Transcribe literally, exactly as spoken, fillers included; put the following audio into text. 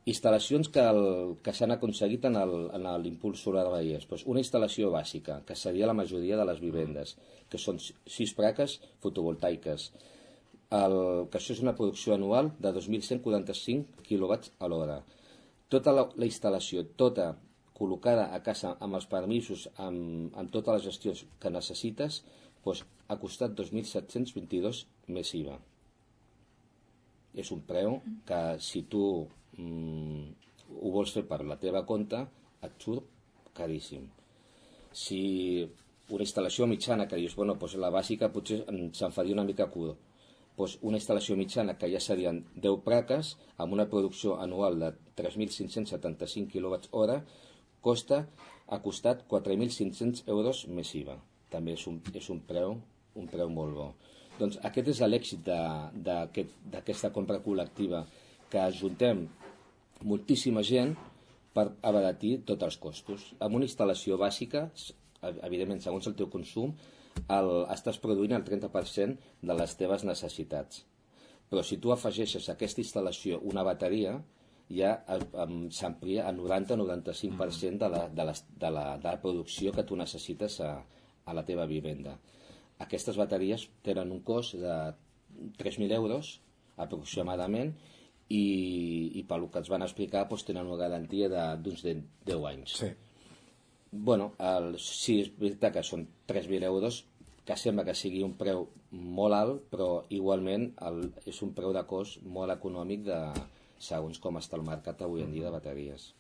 Instal·lacions que, el, que s'han aconseguit en l'impuls solar de Vallès. Pues una instal·lació bàsica, que seria la majoria de les vivendes, que són sis plaques fotovoltaiques, el, que això és una producció anual de dos mil cent quaranta-cinc quilowatts a l'hora. Tota la, la instal·lació, tota col·locada a casa amb els permisos, amb, amb totes les gestions que necessites, pues, ha costat dos mil set-cents vint-i-dos més I V A. És un preu que si tu mm, ho vols fer per la teva compte, et surt caríssim. Si una instal·lació mitjana que dius, bueno, doncs la bàsica potser se'n faria una mica curt, doncs una instal·lació mitjana que ja serien deu plaques amb una producció anual de tres mil cinc-cents setanta-cinc quilowatts hora costa, ha costat quatre mil cinc-cents euros més I V A. També és un, és un preu un preu molt bo. Doncs aquest és l'èxit d'aquesta aquest, compra col·lectiva, que ajuntem moltíssima gent per abaratir tots els costos. Amb una instal·lació bàsica, evidentment, segons el teu consum, el, estàs produint el trenta per cent de les teves necessitats. Però si tu afegeixes a aquesta instal·lació una bateria, ja s'amplia al noranta a noranta-cinc per cent de la, de, la, de, la, de la producció que tu necessites a, a la teva vivenda. Aquestes bateries tenen un cost de tres mil euros aproximadament i, i pel que ens van explicar doncs, tenen una garantia d'uns deu anys. Sí. Bueno, el, sí, és veritat que són tres mil euros, que sembla que sigui un preu molt alt, però igualment el, és un preu de cost molt econòmic de segons com està el mercat avui en dia de bateries.